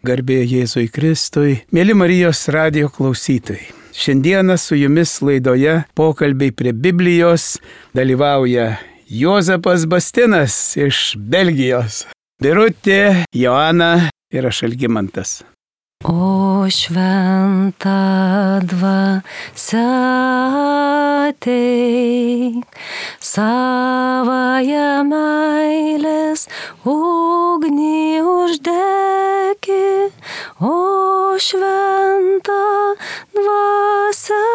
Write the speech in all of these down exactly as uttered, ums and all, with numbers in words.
Garbė Jėzui Kristui, mėly Marijos radijo klausytojai. Šiandieną su jumis laidoje pokalbiai prie Biblijos dalyvauja Juozapas Bastinas iš Belgijos, Birutė, Joana ir aš Algimantas. O šventa dvasia ateik, savąją meilės ugnį uždeki, o šventa dvasia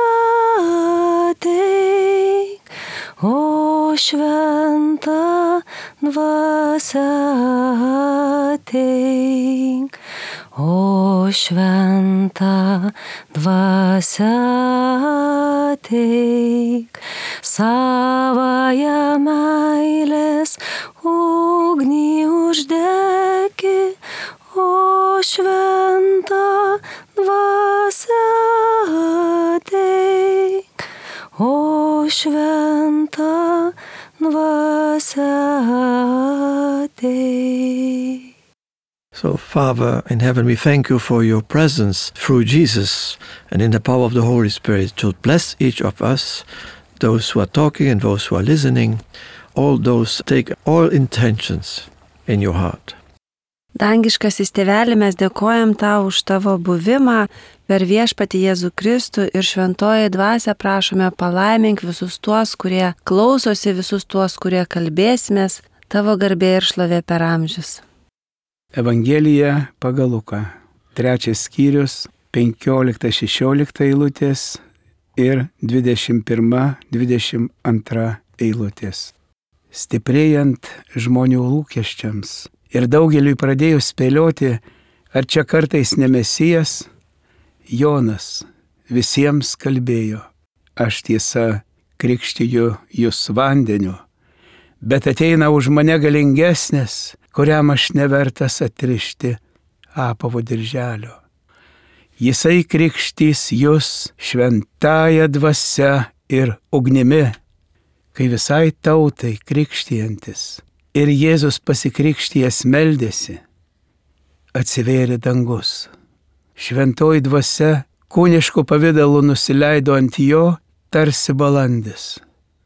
ateik, o šventa dvasia ateik. O šventa dvasia ateik, savąją meilės ugnį uždeki, o šventa dvasia ateik, o šventa dvasia ateik. So, Father in heaven, we thank you for your presence through Jesus and in the power of the Holy Spirit to bless each of us, those who are talking and those who are listening, all those take all intentions in your heart. Dangiškasis Tėveli, mes dėkojam tau už tavo buvimą per Viešpatį Jėzų Kristų ir šventoji dvasia prašome palaimink visus tuos, kurie klausosi, visus tuos, kurie kalbėsimės, tavo garbė ir šlovė per amžius. Evangelija pagal Luką, trečias skyrius, penkiolikta šešiolikta eilutės ir dvidešimt pirma dvidešimt antra eilutės. Stiprėjant žmonių lūkesčiams ir daugeliui pradėjus spėlioti, ar čia kartais ne Mesijas, Jonas visiems kalbėjo, aš tiesa krikštiju jūs vandeniu, bet ateina už mane galingesnis, kuriam aš nevertas atrišti apavo dirželio. Jisai krikštys jūs šventąja dvasia ir ugnimi, kai visai tautai krikštijantis. Ir Jėzus pasikrikštijęs meldėsi, atsivėrė dangus. Šventoji dvasia kūnišku pavidalu nusileido ant jo tarsi balandis,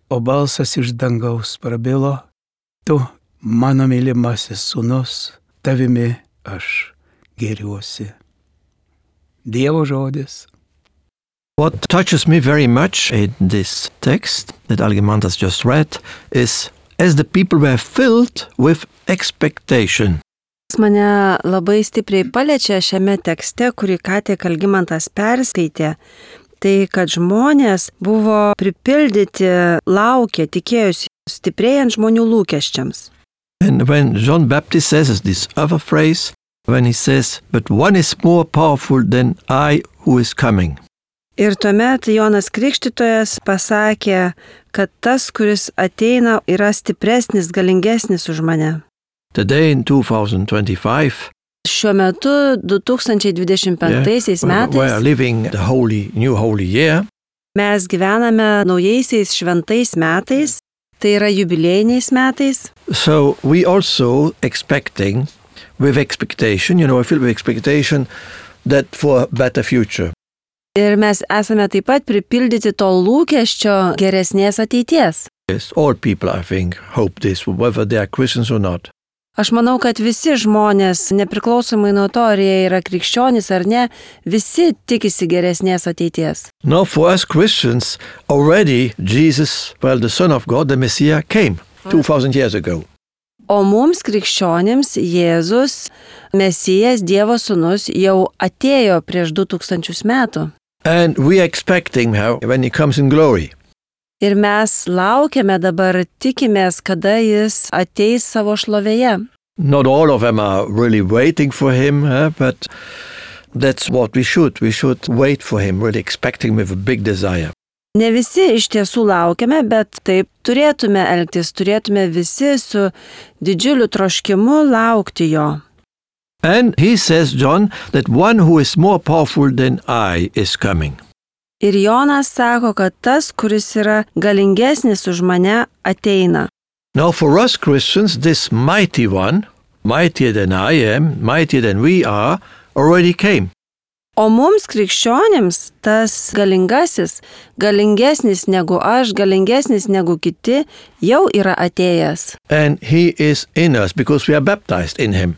o balsas iš dangaus prabilo, tu mano mylimasis sūnus, tavimi aš gėriuosi. Dievo žodis. What touches me very much in this text that Algimantas just read is as the people were filled with expectation. Mane labai stipriai paliečia šiame tekste, kurį ką tik Algimantas perskaitė, tai kad žmonės buvo pripildyti, laukė, tikėjusi, stiprėjant žmonių lūkesčiams. And when John Baptist says this other phrase, when he says, but one is more powerful than I who is coming. Ir tuomet Jonas Krikštytojas pasakė, kad tas, kuris ateina, yra stipresnis, galingesnis už mane. Today in two thousand twenty-five, šiuo metu du tūkstančiai dvidešimt penktaisiais yeah, metais we are living the holy, new holy year. Mes gyvename naujaisiais šventais metais. Tai yra jubiliejiniais metais. So we also expecting, with expectation, you know, I feel with expectation that for a better future. Ir mes esame taip pat pripildyti to lūkesčio geresnės ateities. Yes, all people, I think, hope this, whether they are Christians or not. Aš manau, kad visi žmonės, nepriklausomai nuo to, ar jie yra krikščionys ar ne, visi tikisi geresnės ateities. Now for us Christians, already Jesus, well, the Son of God, the Messiah, came two thousand years ago. O mums krikščionims Jėzus, Mesijas, Dievo sūnus, jau atėjo prieš du tūkstančius metų. And we are expecting how when he comes in glory. Ir mes laukiame dabar, tikimės, kada jis ateis savo šlovėje. Not all of them are really waiting for him, eh, but that's what we should. We should wait for him, really expecting with a big desire. Ne visi iš tiesų laukiame, bet taip turėtume elgtis, turėtume visi su didžiuliu troškimu laukti jo. And he says, John, that one who is more powerful than I is coming. Ir Jonas sako, kad tas, kuris yra galingesnis už mane, ateina. Now for us Christians, this mighty one, mightier than I am, mightier than we are, already came. O mums krikščionims tas galingasis, galingesnis negu aš, galingesnis negu kiti, jau yra atėjęs. And he is in us because we are baptized in him.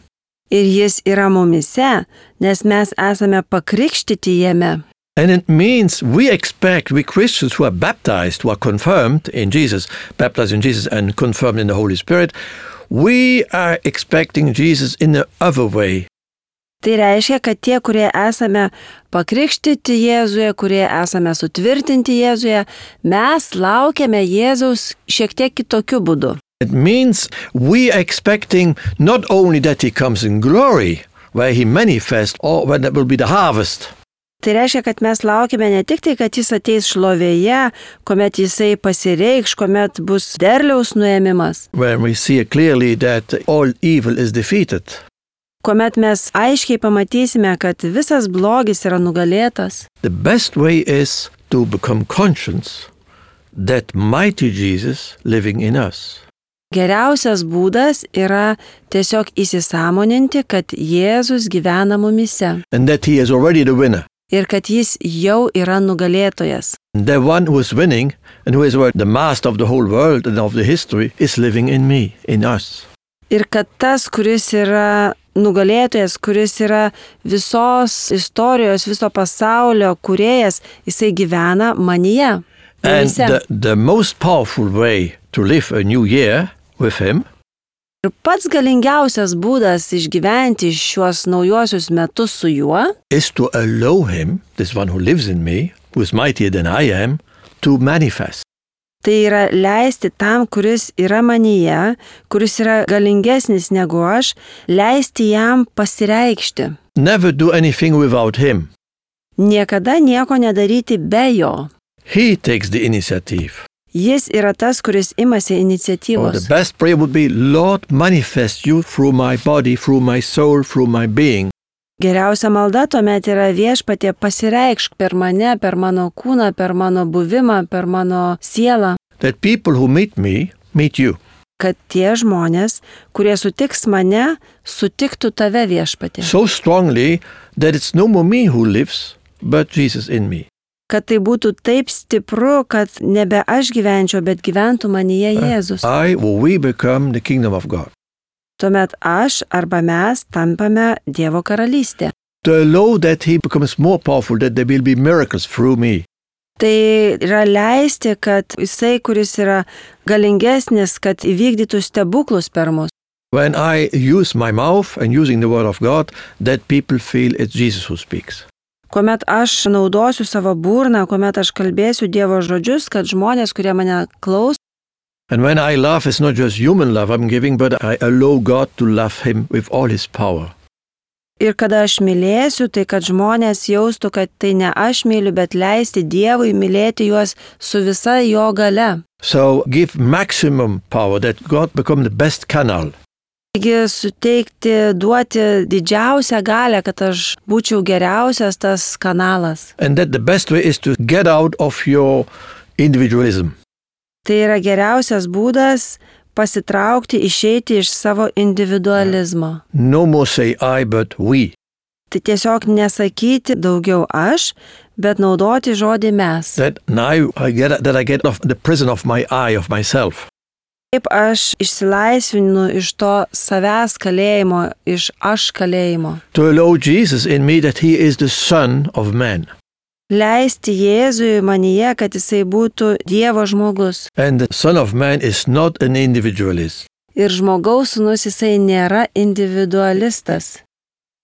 Ir jis yra mumise, nes mes esame pakrikštyti jame. And it means we expect, we Christians who are baptized, who are confirmed in Jesus, baptized in Jesus and confirmed in the Holy Spirit, we are expecting Jesus in the other way. Tai reiškia, kad tie, kurie esame pakrikštyti Jėzuje, kurie esame sutvirtinti Jėzuje, mes laukiame Jėzaus šiek tiek kitokiu būdu. It means we are expecting not only that he comes in glory, where he manifests, or when it will be the harvest. Tai reiškia, kad mes laukiame ne tik tai, kad jis ateis šlovėje, kuomet jisai pasireikš, kuomet bus derliaus nuėmimas. When we see clearly that all evil is defeated. Kuomet mes aiškiai pamatysime, kad visas blogis yra nugalėtas. The best way is to become conscious that mighty Jesus living in us. Geriausias būdas yra tiesiog įsisąmoninti, kad Jėzus gyvena mumise. And that he is already the winner. Ir kad jis jau yra nugalėtojas. The one who is winning and who is the master of the whole world and of the history is living in me, in us. Ir kad tas, kuris yra nugalėtojas, kuris yra visos istorijos, viso pasaulio kūrėjas, jisai gyvena manyje. And the, the most powerful way to live a new year with him ir pats galingiausias būdas išgyventi šiuos naujosius metus su juo is to allow him, this one who lives in me, who is mightier than I am, to manifest. Tai yra leisti tam, kuris yra manyje, kuris yra galingesnis negu aš, leisti jam pasireikšti. Never do anything without him. Niekada nieko nedaryti be jo. He takes the initiative. Jis yra tas, kuris imasi Oh, iniciatyvos. the best prayer would be, Lord, manifest you through my body, through my soul, through my being. Geriausia malda tuomet yra Viešpatie pasireikšk per mane, per mano kūną, per mano buvimą, per mano sielą. That people who meet me, meet you. Kad tie žmonės, kurie sutiks mane, sutiktų tave, Viešpatie. So strongly that it's no more me who lives, but Jesus in me. Kad tai būtų taip stipru, kad nebe aš gyvenčiau, bet gyventų manyje Jėzus. I or we become the kingdom of God. Tuomet aš arba mes tampame Dievo karalystė. To allow that he becomes more powerful, that there will be miracles through me. Tai yra leisti, kad jisai, kuris yra galingesnis, kad įvykdytų stebuklus per mus. When I use my mouth and using the word of God, that people feel it's Jesus who speaks. Kuomet aš naudosiu savo burną, kuomet aš kalbėsiu Dievo žodžius, kad žmonės, kurie mane klaus. And when I love, it's not just human love I'm giving, but I allow God to love him with all his power. Ir kada aš mylėsiu, tai kad žmonės jaustų, kad tai ne aš myliu, bet leisti Dievui mylėti juos su visa jo gale. So give maximum power that God become the best canal. Taigi suteikti, duoti didžiausią galę, kad aš būčiau geriausias tas kanalas. And that the best way is to get out of your individualism. Tai yra geriausias būdas pasitraukti, išeiti iš savo individualizmo. No more say I, but we. Tai tiesiog nesakyti daugiau aš, bet naudoti žodį mes. That now I get that I get off the prison of my I, of myself. Kaip aš išsilaisvinu iš to savęs kalėjimo, iš aš kalėjimo. To allow Jesus in me that he is the Son of Man. Leisti Jėzui manyje, kad jisai būtų Dievo žmogus. And the Son of Man is not an individualist. Ir žmogaus sūnus jisai nėra individualistas.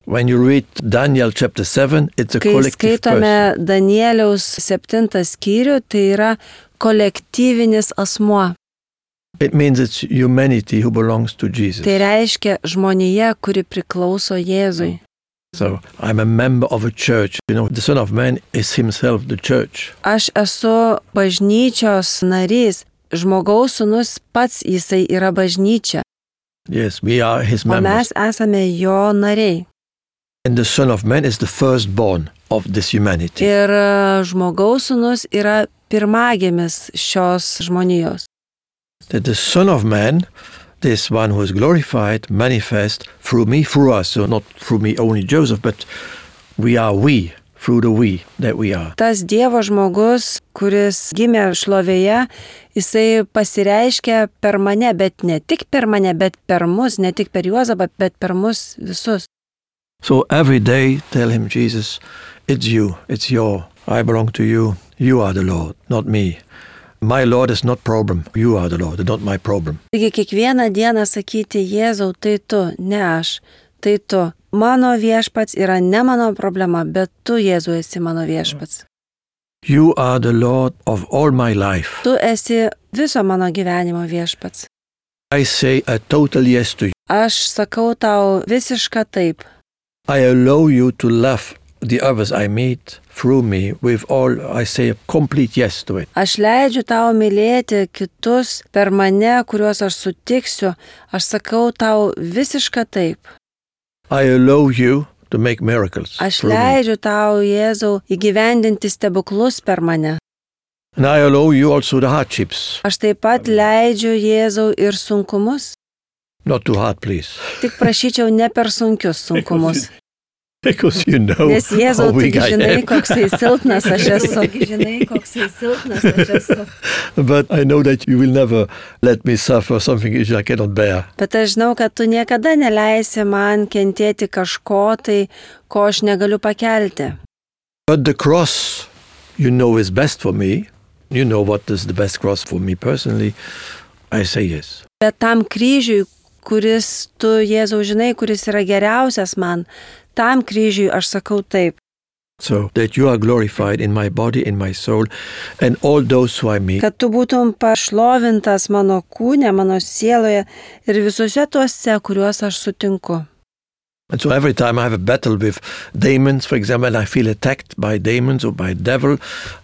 When you read Daniel chapter seven, it's a Kai collective skaitome person. Danieliaus septintą skyrių, tai yra kolektyvinis asmuo. It means it's humanity who belongs to Jesus. Tai reiškia žmonija, kuri priklauso Jėzui. So I'm a member of a church. You know, the Son of Man is himself the church. Aš esu bažnyčios narys. Žmogaus sūnus pats jisai yra bažnyčia. Yes, we are his O members. mes esame jo nariai. And the Son of Man is the firstborn of this humanity. Ir žmogaus sūnus yra pirmagimis šios žmonijos. That the Son of Man this one who is glorified manifest through me, through us. So not through me only Joseph, but we are we, through the we that we are. Tas Dievo žmogus, kuris gimė šlovėje, jisai pasireiškia per mane, bet ne tik per mane, bet per mus, ne tik per Juozapą, bet per mus visus. So every day tell him, Jesus, it's you, it's your, I belong to you, you are the Lord, not me. My Lord is not problem, you are the Lord, not my problem. Taigi kiekvieną dieną sakyti, Jėzau, tai tu, ne aš, tai tu. Mano viešpats yra ne mano problema, bet tu, Jėzau, esi mano viešpats. You are the Lord of all my life. Tu esi viso mano gyvenimo viešpats. I say a total yes to you. Aš sakau tau visišką taip. I allow you to love the others I meet through me with all, I say a complete yes to it. Aš leidžiu tau mylėti kitus per mane, kuriuos aš sutiksiu. Aš sakau tau visišką taip. I allow you to make miracles. Aš leidžiu tau, Jėzau, įgyvendinti stebuklus per mane. And I allow you also the hardships. Aš taip pat leidžiu, Jėzau, ir sunkumus. Not too hard, please. Tik prašyčiau ne per sunkius sunkumus. Because you know Nes Jėzau, how weak tik I žinai, am. koksai silpnas aš esu. Tik žinai, koksai silpnas aš esu. But I know that you will never let me suffer something which I cannot bear. Bet aš žinau, kad tu niekada neleisi man kentėti kažko tai, ko aš negaliu pakelti. But the cross, you know, is best for me. You know what is the best cross for me personally. I say yes. Bet tam kryžiui, kuris tu, Jėzau, žinai, kuris yra geriausias man, tam kryžiui aš sakau taip. So that you are glorified in my body, in my soul, and all those who I meet. Kad tu būtum pašlovintas mano kūne, mano sieloje ir visuose tuose, kuriuos aš sutinku. And so every time I have a battle with demons, for example, and I feel attacked by demons or by devil,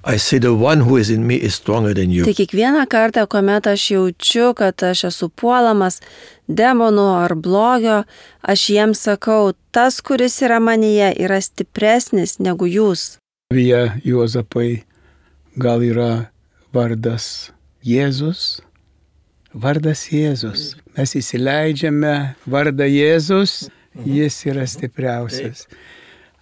I say the one who is in me is stronger than you. Tai kiekvieną kartą, kuomet aš jaučiu, kad aš esu puolamas demonų ar blogio, aš jiems sakau, tas, kuris yra manyje, yra stipresnis negu jūs. Vie Juozapai, gal yra vardas Jėzus? Vardas Jėzus. Mes įsileidžiame vardą Jėzus, jis yra stipriausias.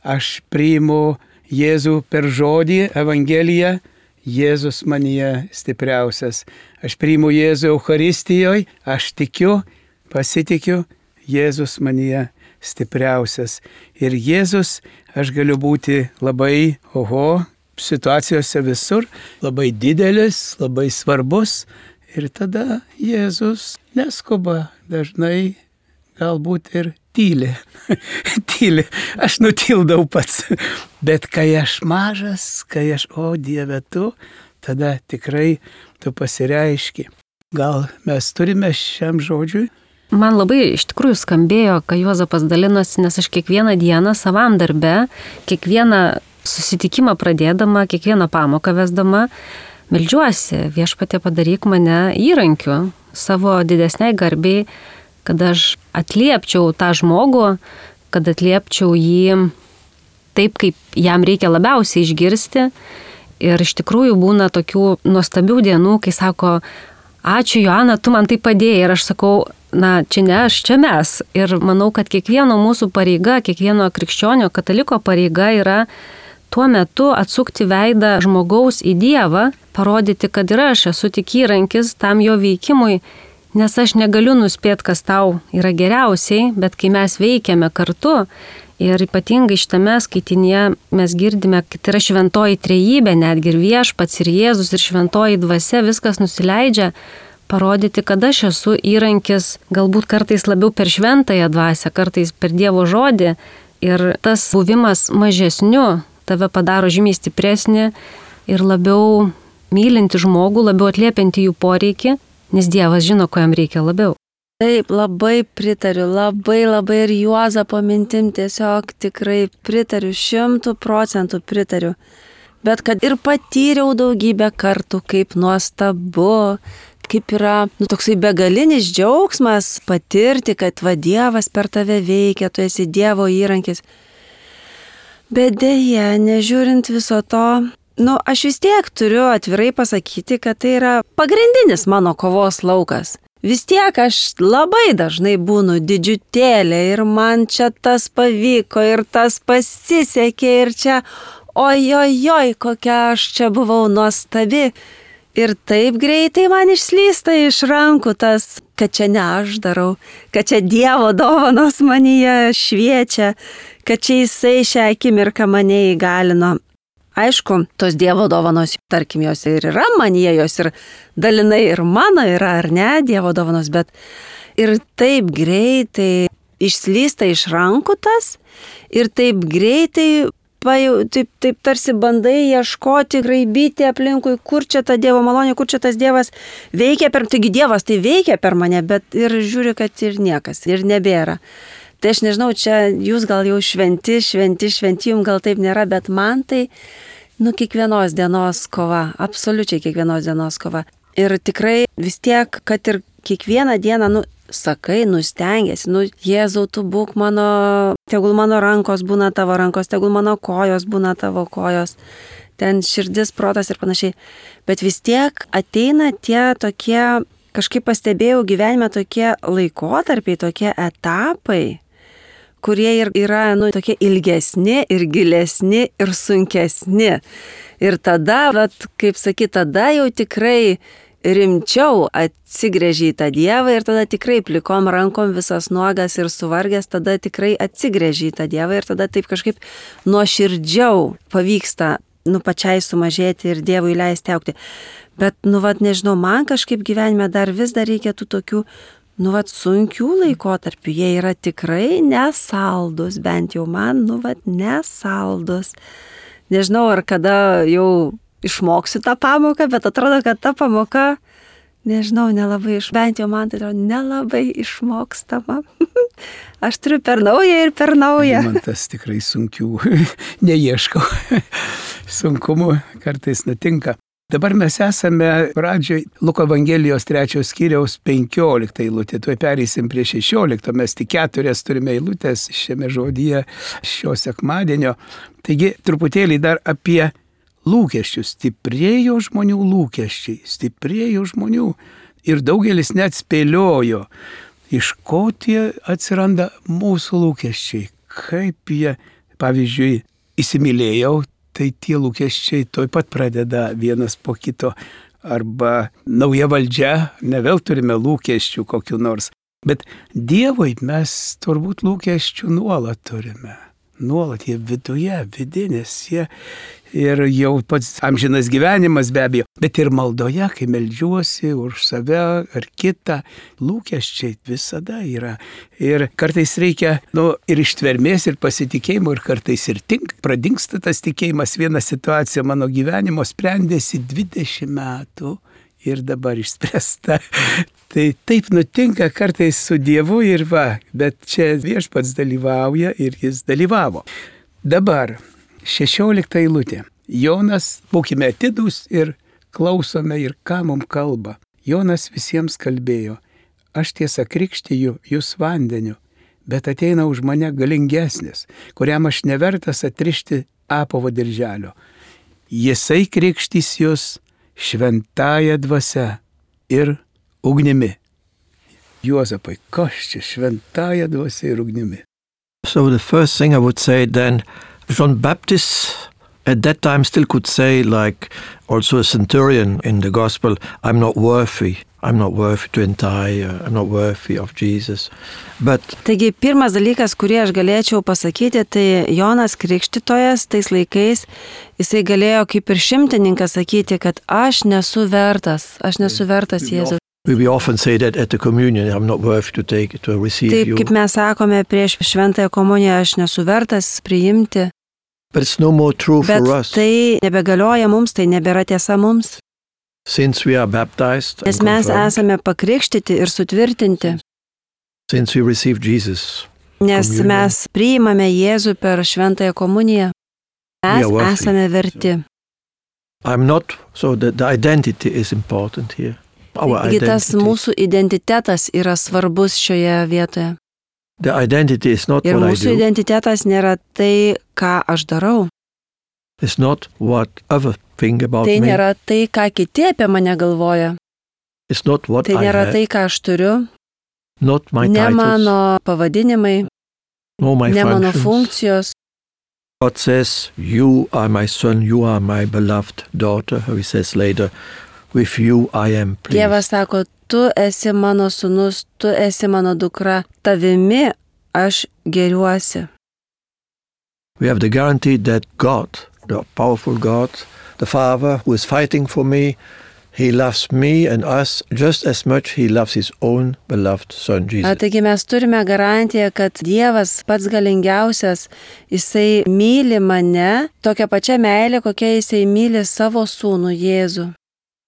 Aš priimu Jėzų per žodį, Evangeliją, Jėzus manyje stipriausias. Aš priimu Jėzų Eucharistijoje, aš tikiu, pasitikiu, Jėzus manyje stipriausias. Ir Jėzus, aš galiu būti labai, oho, situacijose visur, labai didelis, labai svarbus. Ir tada Jėzus neskuba, dažnai galbūt ir tyli. tyli. Aš nutildau pats. Bet kai aš mažas, kai aš, o Dieve tu, tada tikrai tu pasireiški. Gal mes turime šiam žodžiui? Man labai iš tikrųjų skambėjo, kai Juozapas dalinosi, nes aš kiekvieną dieną savam darbe, kiekvieną susitikimą pradėdama, kiekvieną pamoką vesdama, meldžiuosi, Viešpatie padaryk mane įrankiu savo didesniai garbiai, kad aš atliepčiau tą žmogų, kad atliepčiau jį taip, kaip jam reikia labiausiai išgirsti. Ir iš tikrųjų būna tokių nuostabių dienų, kai sako, ačiū Joana, tu man tai padėjai. Ir aš sakau, na, čia ne aš, čia mes. Ir manau, kad kiekvieno mūsų pareiga, kiekvieno krikščionio kataliko pareiga yra tuo metu atsukti veidą žmogaus į Dievą, parodyti, kad ir aš esu tik įrankis tam jo veikimui, nes aš negaliu nuspėti, kas tau yra geriausiai, bet kai mes veikiame kartu ir ypatingai šitame skaitinėje mes girdime, kad yra šventoji trejybė, netgi ir Viešpats, ir Jėzus, ir šventoji dvasia, viskas nusileidžia, parodyti, kad aš esu įrankis, galbūt kartais labiau per šventąją dvasią, kartais per Dievo žodį, ir tas buvimas mažesniu tave padaro žymiai stipresnį ir labiau mylinti žmogų, labiau atliepianti jų poreikį, nes Dievas žino, ko jam reikia labiau. Taip, labai pritariu, labai labai ir Juozapo mintim tiesiog tikrai pritariu, šimtų procentų pritariu. Bet kad ir patyriau daugybę kartų, kaip nuostabu, kaip yra nu, toksai begalinis džiaugsmas patirti, kad va Dievas per tave veikia, tu esi Dievo įrankis. Bet dėja, nežiūrint viso to, nu, aš vis tiek turiu atvirai pasakyti, kad tai yra pagrindinis mano kovos laukas. vis tiek aš labai dažnai būnu didžiutėlė ir man čia tas pavyko ir tas pasisekė ir čia ojojoj, kokia aš čia buvau nuostabi. Ir taip greitai man išslysta iš rankų tas, kad čia ne aš darau, kad čia Dievo dovanos manyje šviečia, kad čia Jisai šią akimirką mane įgalino. Aišku, tos Dievo dovanos, tarkim, jos ir yra manyje, jos ir dalinai ir mano yra, ar ne, Dievo dovanos, bet ir taip greitai išslysta iš rankų tas ir taip greitai Jau, taip, taip tarsi bandai ieškoti, graibyti aplinkui, kur čia ta Dievo malonė, kur čia tas Dievas veikia per, taigi Dievas tai veikia per mane, bet ir žiūri, kad ir niekas, ir nebėra. Tai aš nežinau, čia jūs gal jau šventi, šventi, šventi, jums gal taip nėra, bet man tai, nu, kiekvienos dienos kova, absoliučiai kiekvienos dienos kova. Ir tikrai vis tiek, kad ir kiekvieną dieną, nu, sakai, nustengiasi, nu, Jėzau, tu būk mano, tegul mano rankos būna tavo rankos, tegul mano kojos būna tavo kojos, ten širdis, protas ir panašiai. Bet vis tiek ateina tie tokie, kažkaip pastebėjau gyvenime, tokie laikotarpiai, tokie etapai, kurie ir yra, nu, tokie ilgesni ir gilesni ir sunkesni. Ir tada, vat, kaip sakyt, tada jau tikrai rimčiau atsigręži į tą Dievą ir tada tikrai plikom rankom visas nuogas ir suvargęs, tada tikrai atsigręži į tą Dievą ir tada taip kažkaip nuoširdžiau pavyksta, nu, pačiai sumažėti ir Dievui leisti augti. Bet, nu, vat, nežinau, man kažkaip gyvenime dar vis dar reikia tų tokių, nu, vat, sunkių laikotarpių. Jie yra tikrai nesaldus, bent jau man, nu, vat, nesaldus. Nežinau, ar kada jau išmoksiu tą pamoką, bet atrodo, kad ta pamoka, nežinau, nelabai iš, bent jau man tai atrodo, nelabai išmokstama. Aš turiu per naują ir per naują. Man tas tikrai sunkių neieškau. Sunkumų kartais nutinka. Dabar mes esame pradžioj Luko Evangelijos trečios skyriaus penkioliktą eilutę. Tuoj pereisim prie šešiolikto. Mes tik keturias turime eilutės šiame žodyje šio sekmadienio. Taigi truputėlį dar apie lūkesčius. Stiprėjo žmonių lūkesčiai. Stiprėjo žmonių. Ir daugelis net spėliojo, iš ko tie atsiranda mūsų lūkesčiai. Kaip jie, pavyzdžiui, įsimylėjau, tai tie lūkesčiai tuoj pat pradeda vienas po kito. Arba nauja valdžia, ne vėl turime lūkesčių kokiu nors. Bet Dievui mes turbūt lūkesčių nuolat turime. Nuolat jie viduje, vidinės, jie ir jau pats amžinas gyvenimas be abejo, bet ir maldoje, kai meldžiuosi už save ar kitą, lūkesčiai visada yra. Ir kartais reikia, nu, ir ištvermės, ir pasitikėjimo, ir kartais ir tink, pradingsta tas tikėjimas. Viena situacija mano gyvenimo sprendėsi dvidešimt metų. Ir dabar išspręsta. Tai taip nutinka kartais su Dievu ir va, bet čia Viešpats dalyvauja ir jis dalyvavo. Dabar šešiolikta eilutė. Jonas, būkime atidūs ir klausome ir ką mums kalba. Jonas visiems kalbėjo, aš tiesa krikštiju jūs vandeniu, bet ateina už mane galingesnis, kuriam aš nevertas atrišti apavo dirželio. Jisai krikštys jūs šventąja dvasia ir ugnimi. Juozapai, kas čia šventąja dvasia ir ugnimi? So the first thing I would say then, John Baptist at that time still could say, like also a centurion in the gospel, I'm not worthy. I'm not worthy to untie, I'm not worthy of Jesus. But Taigi pirmas dalykas, kurį aš galėčiau pasakyti, tai Jonas Krikštytojas tais laikais, jisai galėjo kaip ir šimtininkas sakyti, kad aš nesu vertas, aš nesu vertas Jėzaus. We often say that at the communion, I'm not worthy to take, to receive Taip, you. kaip mes sakome prieš šventąją komuniją, aš nesu vertas priimti. But it's no more true Bet for us. tai nebegalioja mums, tai nebėra tiesa mums. Since we are baptized and Nes mes confirmed, esame pakrikštyti ir sutvirtinti. since we receive Jesus, Nes Communion. mes priimame Jėzų per šventąją komuniją. Mes We are worthy. esame verti. I'm not, so the, the identity is important here. Our Taigi tas identity. mūsų identitetas yra svarbus šioje vietoje. The identity is not Ir what I mūsų do. identitetas nėra tai, ką aš darau. It's not what other think about Tai me. nėra tai, ką kiti apie mane galvoja. It's not what Tai I nėra have, tai, ką aš turiu, not my ne titles, mano pavadinimai, nor my ne mano functions. funkcijos. God says, you are my son, you are my beloved daughter. He says later, with you I am pleased. Dievas sako, tu esi mano sūnus, tu esi mano dukra, tavimi aš geriuosi. We have the guarantee that God, the powerful God, the Father who is fighting for me, He loves me and us just as much He loves His own beloved Son, Jesus. Taigi mes turime garantiją, kad Dievas pats galingiausias, Jisai myli mane tokia pačia meilė, kokia Jisai myli savo sūnų Jėzų.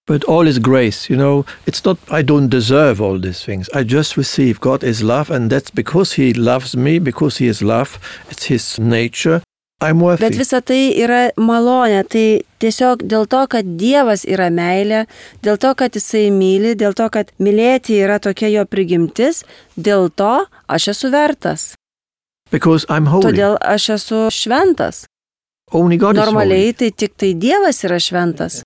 But all is grace, you know, it's not, I don't deserve all these things. I just receive. God is love, and that's because He loves me, because He is love, it's His nature. I'm worthy. Bet visa tai yra malonė, tai tiesiog dėl to, kad Dievas yra meilė, dėl to, kad Jisai myli, dėl to, kad mylėti yra tokia jo prigimtis, dėl to aš esu vertas. Because I'm holy. Todėl aš esu šventas. Only God Normaliai is holy. tai tik tai Dievas yra šventas.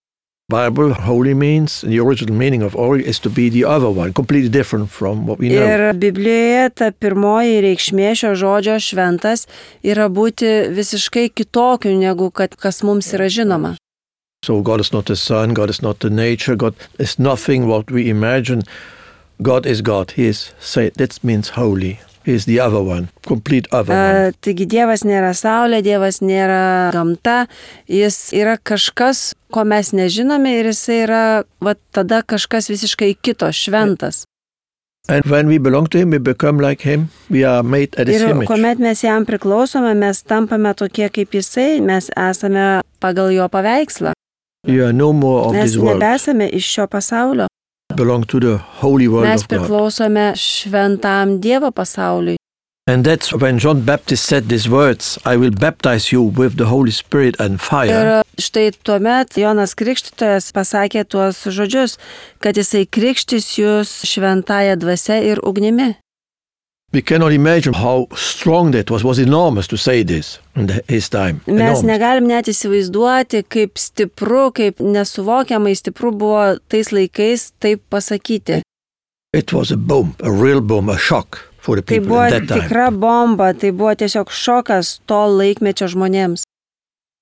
Bible, holy means, the original meaning of holy is to be the other one, completely different from what we know. Ir Biblijoje ta pirmoji reikšmė šio žodžio šventas yra būti visiškai kitokiu, negu kad kas mums yra žinoma. So God is not the sun, God is not the nature, God is nothing what we imagine. God is God. He is, say, that means holy. He is the other one, complete other one. Uh, taigi Dievas nėra saulė, Dievas nėra gamta, jis yra kažkas, ko mes nežinome ir jis yra va, tada kažkas visiškai kito, šventas. And when we belong to Him, we become like Him. We are made at His Ir image. kuomet mes jam priklausome, mes tampame tokie kaip jisai, mes esame pagal jo paveikslą. You are no more of Mes this world. nebesame iš šio pasaulio. Belong to the holy world Mes of God. priklausome šventam Dievo pasauliui. And that's when John Baptist said these words, I will baptize you with the Holy Spirit and fire. Ir štai tuomet Jonas Krikštytojas pasakė tuos žodžius, kad jisai krikštys jūs šventąja dvasia ir ugnimi. We cannot imagine how strong that was. It was enormous to say this in the, his time. Mes Enormous. negalim net įsivaizduoti, kaip stipru, kaip nesuvokiamai stipru buvo tais laikais taip pasakyti. It was a boom, a real boom, a shock for the Tai people buvo at that time. tikra bomba, tai buvo tiesiog šokas to laikmečio žmonėms.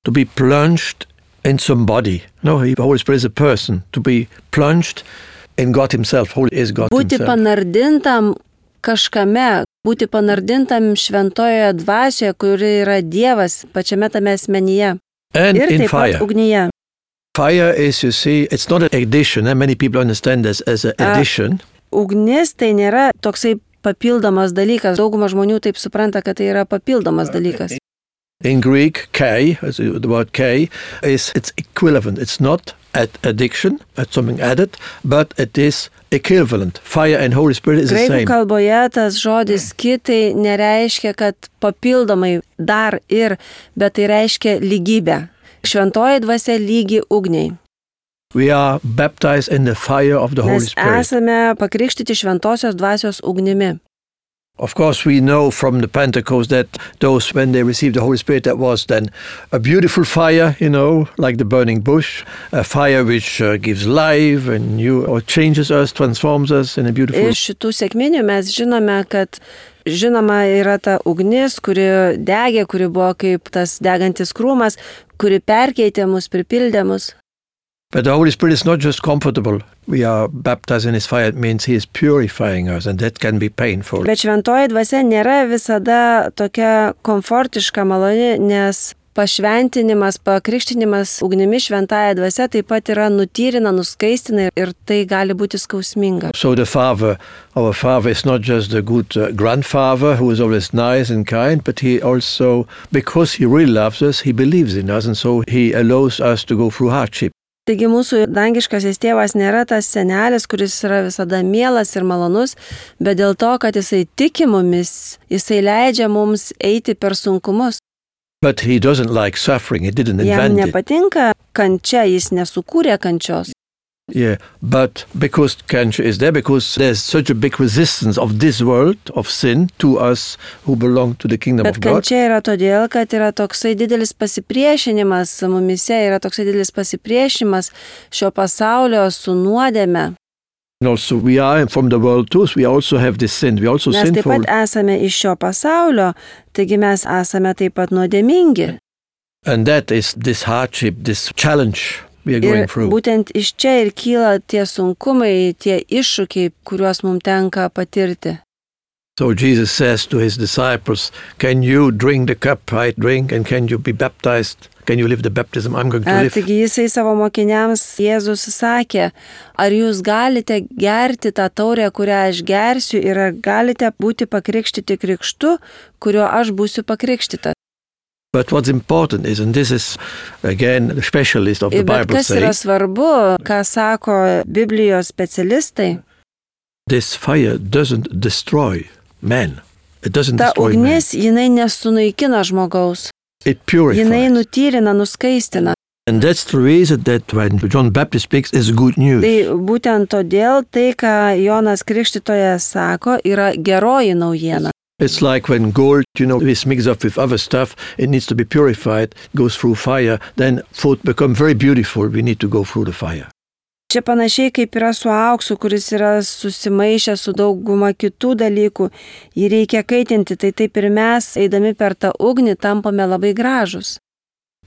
To be plunged in somebody. No, the Holy Spirit is a person. To be plunged in God Himself. Holy is God Būti Himself. panardintam kažkame, būti panardintam šventojoje dvasioje, kuri yra Dievas pačiame tame asmenyje. And Ir in taip pat fire. ugnyje. Fire is, you see, it's not an addition. And many people understand this as an Uh, addition. Ugnis tai nėra toksai papildomas dalykas. Dauguma žmonių taip supranta, kad tai yra papildomas dalykas. In Greek, K, as the word K, is it's equivalent. It's not at addiction, at something added, but it is equivalent. Fire and Holy Spirit is the Graikų same. kalboje tas žodis kitai nereiškia, kad papildomai dar ir, bet tai reiškia lygybę. Šventoji dvasia lygi ugniai. We are baptized in the fire of the Holy Mes Spirit. esame pakrikštyti šventosios dvasios ugnimi. Of course, we know from the Pentecost that those, when they received the Holy Spirit, that was then a beautiful fire, you know, like the burning bush, a fire which uh, gives life and you, or changes us, transforms us in a beautiful... Iš šitų sekminių mes žinome, kad žinoma yra ta ugnis, kuri degė, kuri buvo kaip tas degantis krūmas, kuri perkeitė mus, pripildė mus. But the Holy Spirit is not just comfortable. We are baptized in His fire. It means He is purifying us, and that can be painful. Bet šventoji dvasia nėra visada tokia komfortiška maloni, nes pašventinimas, pakrikštinimas ugnimi šventąja dvasia taip pat yra nutyrina, nuskaistina ir tai gali būti skausminga. So the Father, our Father is not just a good uh, grandfather who is always nice and kind, but He also, because He really loves us, He believes in us, and so He allows us to go through hardship. Taigi mūsų dangiškasis tėvas nėra tas senelis, kuris yra visada mielas ir malonus, bet dėl to, kad jisai tiki mumis, jisai leidžia mums eiti per sunkumus. But He doesn't like suffering. He didn't Jam invent it. nepatinka kančia, jis nesukūrė kančios. Yeah, but because cancer is there, because there's such a big resistance of this world, of sin, to us who belong to the kingdom Bet of God. kančia yra todėl, kad yra toksai didelis pasipriešinimas mumise, yra toksai didelis pasipriešinimas šio pasaulio su nuodėme. And also we are from the world too, so we also have this sin. We also Mes taip sinful. pat esame iš šio pasaulio, taigi mes esame taip pat nuodėmingi. And that is this hardship, this challenge we are going Ir through. būtent iš čia ir kyla tie sunkumai, tie iššūkiai, kuriuos mums tenka patirti. So Jesus says to his disciples, can you drink the cup I drink and can you be baptized? Can you live the baptism I'm going to A, live? taigi jisai savo mokiniams Jėzus sakė, ar jūs galite gerti tą taurę, kurią aš gersiu, ir ar galite būti pakrikštyti krikštu, kuriuo aš būsiu pakrikštyta. But what's important is, and this is again the specialist of the Bet Bible kas yra say, svarbu, ką sako Biblijos specialistai, this fire doesn't destroy man. It doesn't ta destroy man. ugnis, jinai nesunaikina žmogaus, It jinai purifies. nutyrina, nuskaistina. And that's the reason that when John Baptist speaks is good news. Tai būtent todėl tai, ką Jonas Krikštytojas sako, yra geroji naujiena. It's like when gold, you know, is mixed up with other stuff, it needs to be purified, goes through fire, then food becomes very beautiful, we need to go through the fire. Čia panašiai kaip yra su auksu, kuris yra susimaišę su dauguma kitų dalykų, jį reikia kaitinti, tai taip ir mes, eidami per tą ugnį, tampame labai gražus.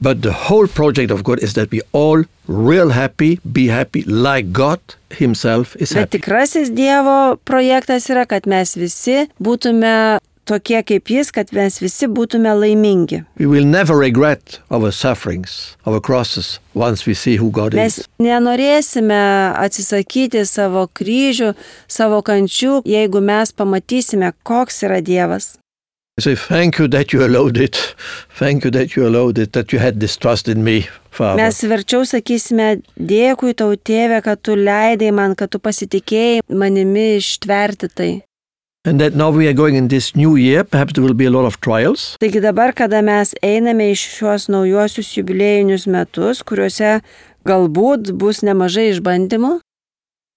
But the whole project of God is that we all real happy, be happy like God himself is Bet happy. tikrasis Dievo projektas yra, kad mes visi būtume tokie kaip jis, kad mes visi būtume laimingi. We will never regret our sufferings, our crosses, once we see who God Mes is. nenorėsime atsisakyti savo kryžių, savo kančių, jeigu mes pamatysime, koks yra Dievas. I say, thank you that you allowed it. Thank you that you allowed it, that you had this trust in me, Father. Mes verčiau sakysime, dėkui tau, Tėve, kad tu leidai man, kad tu pasitikėjai manimi ištverti tai. And that now we are going in this new year, perhaps there will be a lot of trials. Taigi dabar, kada mes einame iš šios naujuosius jubiliejinius metus, kuriuose galbūt bus nemažai išbandymų,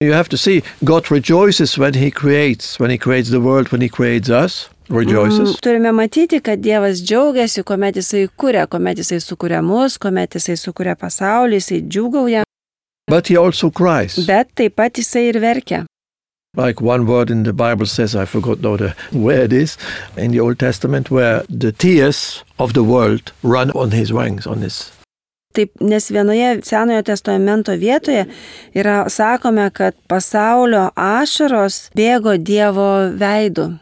You have to see, God rejoices when he creates, when he creates the world, when he creates us, rejoices. mm, turime matyti, kad Dievas džiaugiasi, kuomet jisai kuria, kuomet jisai sukuria mus, kuomet jisai sukuria pasaulį, jisai džiūgauja, But he also cries. bet taip pat jisai ir verkia. Like one word in the Bible says, I forgot now the, where it is, in the Old Testament, where the tears of the world run on his wings, on his. Taip, nes vienoje Senojo testamento vietoje yra sakome, kad pasaulio ašaros bėgo Dievo veidu.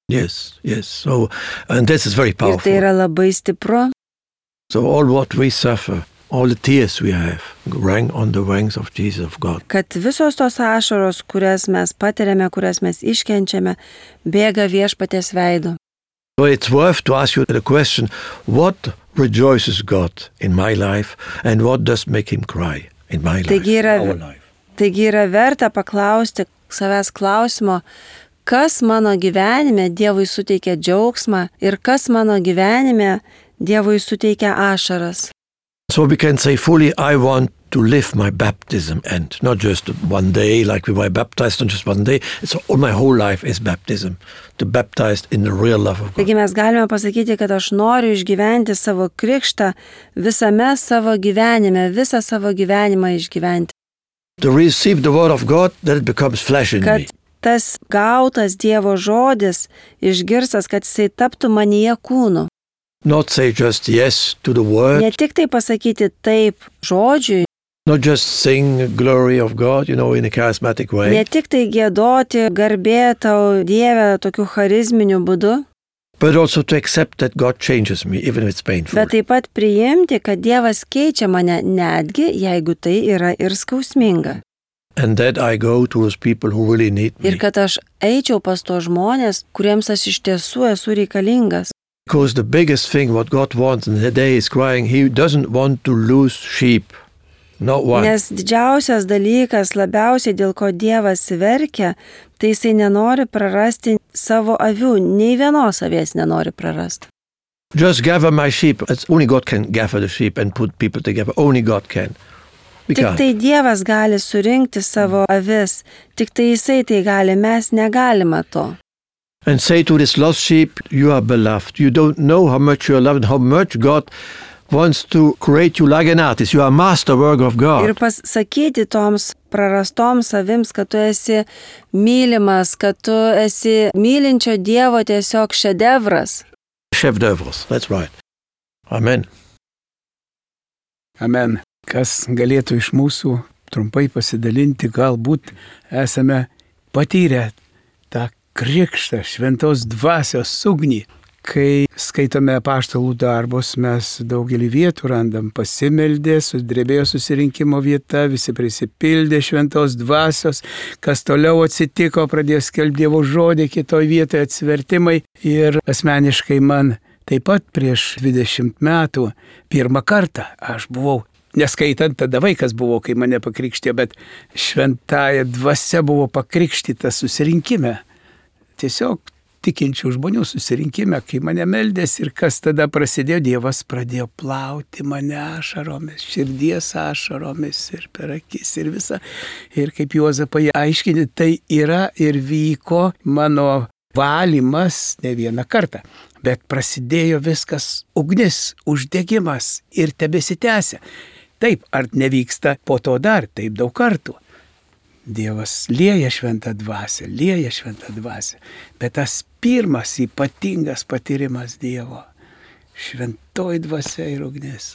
Yes, yes. So, and this is very Ir powerful. tai yra labai stipru. So all what we suffer, all the tears we have, rang on the wings of Jesus of God. Kad visos tos ašaros, kurias mes patiriame, kurias mes iškenčiame, bėga Viešpaties veidu. So it's worth to ask you the question, what rejoices God in my life and what does make him cry in my life, Taigi yra, our life? taigi yra verta paklausti savęs klausimo, kas mano gyvenime Dievui suteikia džiaugsmą ir kas mano gyvenime Dievui suteikia ašaras. So we can say fully, I want to live my baptism and not just one day like we were baptized, not just one day. It's all my whole life is baptism, to baptized in the real love of God. Taigi mes galime pasakyti, kad aš noriu išgyventi savo krikštą visame savo gyvenime, visą savo gyvenimą išgyventi. To receive the word of God, that it becomes flesh in Kad me. tas gautas Dievo žodis išgirstas, kad jisai taptų manyje kūnu. Not say just yes to the word, Ne tik tai pasakyti taip žodžiui, not just sing glory of God, you know, in a charismatic way, ne tik tai giedoti garbė tau Dieve tokiu charizminiu būdu, but also to accept that God changes me, even if it's painful. bet taip pat priimti, kad Dievas keičia mane netgi, jeigu tai yra ir skausminga. And that I go to those people who really need me. Ir kad aš eičiau pas to žmonės, kuriems aš iš tiesų esu reikalingas. Because the biggest thing what God wants in the day is crying, he doesn't want to lose sheep. Not one. Nes didžiausias dalykas, labiausiai dėl ko Dievas verkia, tai jisai nenori prarasti savo avių, nei vienos avies nenori prarasti. Just gather my sheep. It's only God can gather the sheep and put people together. Only God can. We Tik can't. tai Dievas gali surinkti savo avis, tik tai jisai tai gali, mes negalime to. And say to this lost sheep, you are beloved. You don't know how much you are loved and how much God wants to create you like an artist. You are a masterwork of Ir God. pasakyti toms prarastom savims, kad tu esi mylimas, kad tu esi mylinčio Dievo tiesiog šedevras. Chef d'œuvres, that's right. Amen. Amen. Kas galėtų iš mūsų trumpai pasidalinti, galbūt esame patyrę tą krikštą šventos dvasios ugnį. Kai skaitome apaštalų darbus, mes daugelį vietų randam pasimeldė, sudrebėjo susirinkimo vieta, visi prisipildė šventos dvasios, kas toliau atsitiko, pradėjo skelbti Dievo žodį, kitoj vietoje atsivertimai. Ir asmeniškai man taip pat prieš dvidešimt metų pirmą kartą aš buvau, neskaitant tada vaikas buvo, kai mane pakrikštė, bet šventąja dvasia buvo pakrikštyta susirinkime. Tiesiog tikinčių žmonių susirinkime, kai mane meldės ir kas tada prasidėjo, Dievas pradėjo plauti mane ašaromis, širdies ašaromis ir per akis ir visą. Ir kaip Juozapai aiškini, tai yra ir vyko mano valymas ne vieną kartą. Bet prasidėjo viskas ugnis, uždegimas ir tebesitęsia. Taip, ar nevyksta po to dar taip daug kartų. Dievas lieja šventą dvasią, lieja šventą dvasią. Bet tas pirmas ypatingas patyrimas Dievo. Šventoji dvasia ir ugnis.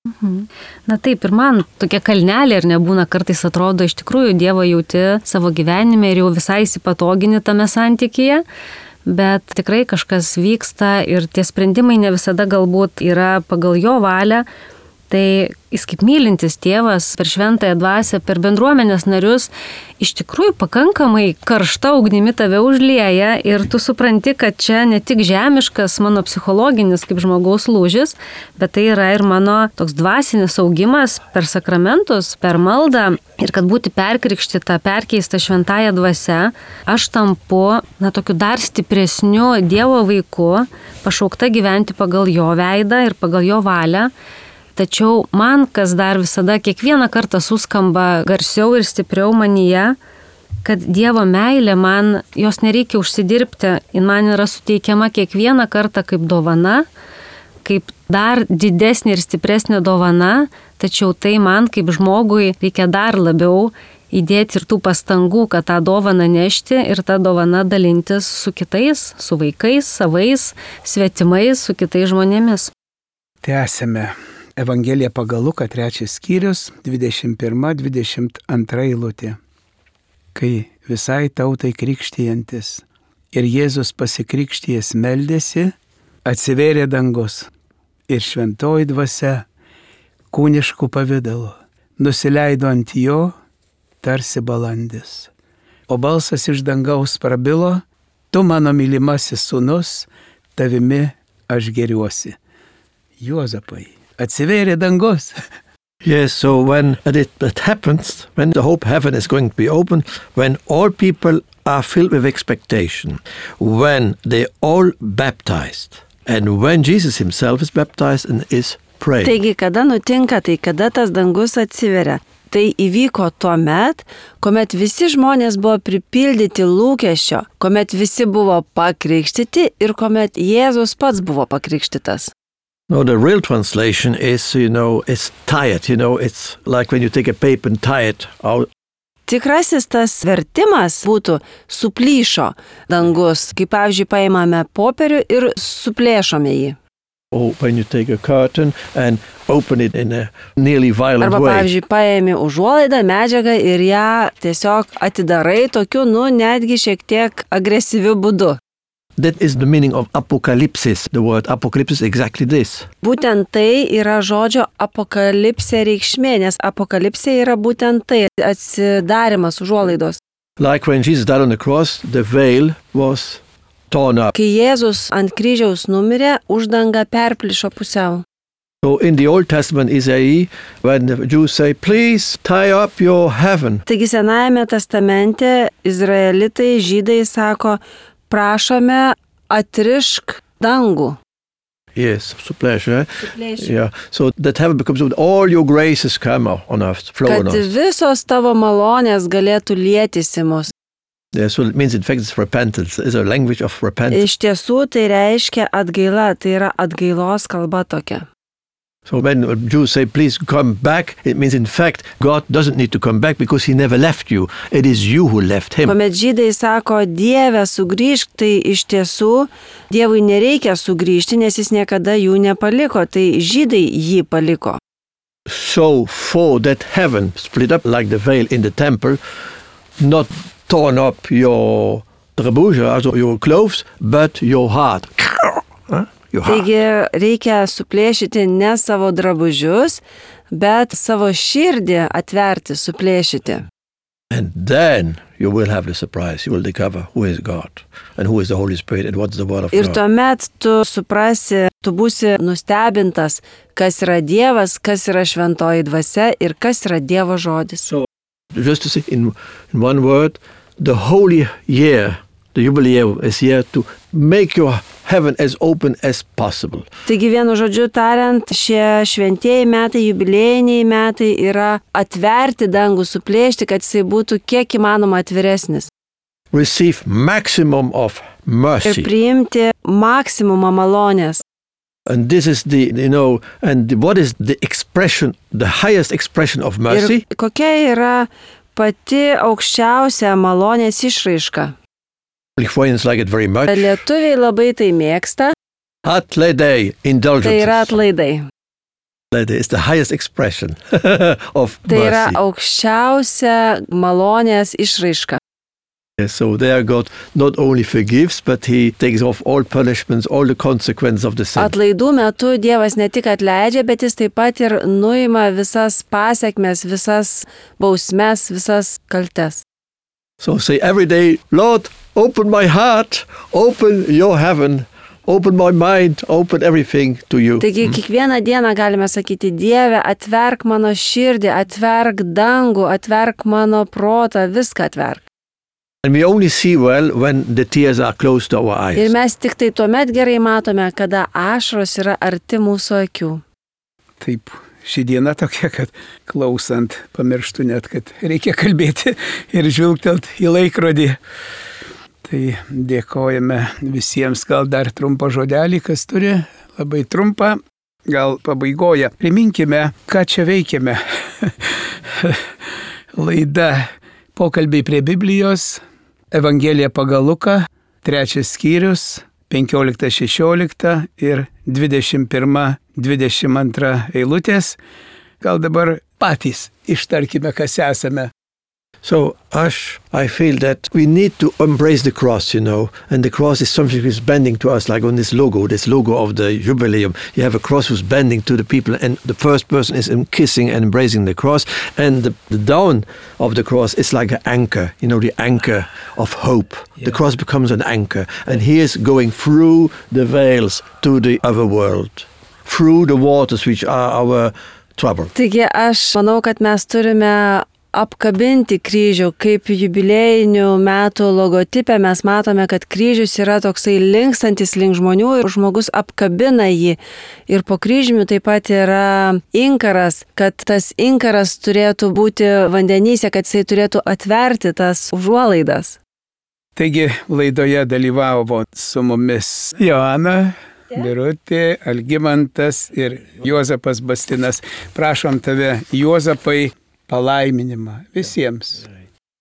Mhm. Na taip, ir man tokia kalnelė ir nebūna, kartais atrodo, iš tikrųjų Dievą jauti savo gyvenime ir jau visai įsipatogini tame santykyje. Bet tikrai kažkas vyksta ir tie sprendimai ne visada galbūt yra pagal jo valią. Tai jis kaip mylintis tėvas per šventąją dvasią, per bendruomenės narius, iš tikrųjų pakankamai karšta ugnimi tave užlieja ir tu supranti, kad čia ne tik žemiškas mano psichologinis kaip žmogaus lūžis, bet tai yra ir mano toks dvasinis augimas per sakramentus, per maldą ir kad būti perkrikštyta, perkeista šventąją dvasią, aš tampu, na, tokiu dar stipresniu Dievo vaiku, pašaukta gyventi pagal jo veidą ir pagal jo valią. Tačiau man, kas dar visada kiekvieną kartą suskamba garsiau ir stipriau manyje, kad Dievo meilė man, jos nereikia užsidirbti, jin man yra suteikiama kiekvieną kartą kaip dovana, kaip dar didesnė ir stipresnė dovana, tačiau tai man kaip žmogui reikia dar labiau įdėti ir tų pastangų, kad tą dovaną nešti ir tą dovaną dalintis su kitais, su vaikais, savais, svetimais, su kitais žmonėmis. Tęsime. Evangelija pagal Luką trečias skyrius, dvidešimt pirma dvidešimt antra eilutė. Kai visai tautai krikštijantis ir Jėzus pasikrikštijęs meldėsi, atsivėrė dangus ir šventoji dvasia kūniškų pavidalu nusileido ant jo tarsi balandis. O balsas iš dangaus prabilo, tu mano mylimasis sūnus, tavimi aš geriuosi. Juozapai. Atsivėrė dangus. Yes, so when it, it happens, when the hope heaven is going to be open, when all people are filled with expectation, when they all baptized, and when Jesus himself is baptized and is praying. Taigi, kada nutinka, tai kada tas dangus atsiveria. Tai įvyko tuo met, kuomet visi žmonės buvo pripildyti lūkesčio, kuomet visi buvo pakrikštyti ir kuomet Jėzus pats buvo pakrikštytas. No, the real translation is, you know, it's tired, you know, it's like when you take a paper and tie it out. Tikrasis tas vertimas būtų suplyšo dangus, kaip pavyzdžiui paimame popierių ir suplėšome jį. Or when you take a curtain and open it in a nearly violent Arba, way. Arba, pavyzdžiui, paėmi užuolaidą, medžiagą ir ją tiesiog atidarai tokiu, nu, netgi šiek tiek agresyviu būdu. That is the meaning of apocalypsis. The word apocalypsis is exactly this. Būtent tai yra žodžio apokalipsė reikšmė, nes apokalipsė yra būtent tai, atsidarimas užuolaidos. Like when Jesus died on the cross, the veil was torn up. Kai Jėzus ant kryžiaus numirė, uždanga perplyšo pusiau. So in the Old Testament, Isaiah, when the Jews say, please tie up your heaven. Taigi Senajame testamente izraelitai, žydai sako, prašome atrišk dangų. Yes, supplėšė. Yeah. So that heaven becomes all your graces come on earth, flow on Kad us. visos tavo malonės galėtų lietis į mus. Yeah, so it means in fact it's repentance. It's a language of repentance. Iš tiesų tai reiškia atgaila, tai yra atgailos kalba tokia. So when Jews say, please come back, it means in fact God doesn't need to come back because he never left you. It is you who left him. Kuomet žydai sako, Dieve, sugrįžk, tai iš tiesų Dievui nereikia sugrįžti, nes jis niekada jų nepaliko, tai žydai jį paliko. So for that heaven split up like the veil in the temple, not torn up your drabuja, also your clothes, but your heart. Huh? Your heart. Taigi reikia suplėšyti ne savo drabužius, bet savo širdį atverti, suplėšyti. And then you will have the surprise. You will discover who is God and who is the Holy Spirit and what's the word of Ir God. tuomet tu suprasi, tu būsi nustebintas, kas yra Dievas, kas yra šventoji dvasia ir kas yra Dievo žodis. So, just to say in, in one word, the holy year, the jubilee is here to make your heaven as open as possible. Taigi vienu žodžiu tariant, šie šventieji metai, jubiliejiniai metai yra atverti dangų, suplėšti, kad jisai būtų kiek įmanoma atviresnis. Receive maximum of Ir mercy. priimti maksimumą malonės. And this is the, you know, and what is the expression, the highest expression of mercy? Ir kokia yra pati aukščiausia malonės išraiška? Lithuanians like it very much. Lietuviai labai tai mėgsta, Atlaidai, tai indulgences. yra atlaidai. Atlaidai is the highest expression of Tai yra mercy. aukščiausia malonės išraiška. Yes, so there God not only forgives, but he takes off all punishments, all the consequences of the sin. Atlaidų metu Dievas ne tik atleidžia, bet jis taip pat ir nuima visas pasiekmes, visas bausmes, visas kaltes. So say every day, Lord, open my heart, open your heaven, open my mind, open everything to you. Taigi kiekvieną dieną galime sakyti, Dieve, atverk mano širdį, atverk dangų, atverk mano protą, viską atverk. And we only see well when the tears are close to our Ir eyes. mes tik tai tuomet gerai matome, kada ašaros yra arti mūsų akių. Taip, ši diena tokia, kad klausant pamirštų net, kad reikia kalbėti ir žvilgtelt į laikrodį. Tai dėkojame visiems, gal dar trumpą žodelį, kas turi, labai trumpą, gal pabaigoje. Priminkime, ką čia veikiame. Laida Pokalbiai prie Biblijos, Evangelija pagal Luką, trečias skyrius, penkiolikta šešiolikta ir dvidešimt pirma dvidešimt antra eilutės. Gal dabar patys ištarkime, kas esame. So, Ash, I feel that we need to embrace the cross, you know, and the cross is something which is bending to us, like on this logo, this logo of the Jubileum. You have a cross who's bending to the people, and the first person is kissing and embracing the cross, and the, the down of the cross is like an anchor, you know, the anchor of hope. Yeah. The cross becomes an anchor, and he is going through the veils to the other world, through the waters which are our trouble. Taigi aš manau, kad mes turime apkabinti kryžių, kaip jubiliejinių metų logotipę mes matome, kad kryžius yra toksai linkstantis link žmonių ir žmogus apkabina jį. Ir po kryžiumi taip pat yra inkaras, kad tas inkaras turėtų būti vandenyse, kad jisai turėtų atverti tas užuolaidas. Taigi laidoje dalyvavo su mumis Joana, Birutė, Algimantas ir Juozapas Bastinas. Prašom tave, Juozapai, palaiminimą visiems.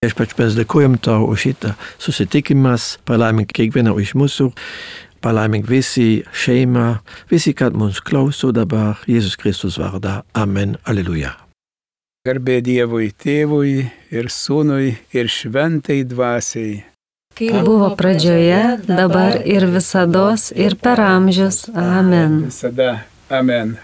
Viešpatie, mes dėkojam tau už šitą susitikimas, palaimink kiekvieną iš mūsų, palaimink visi šeimą, visi, kad mums klauso dabar, Jėzus Kristus vardą. Amen. Alleluja. Garbė Dievui Tėvui ir Sūnui ir Šventai Dvasiai. Kaip buvo pradžioje, dabar ir visados, ir per amžius. Amen. Visada. Amen.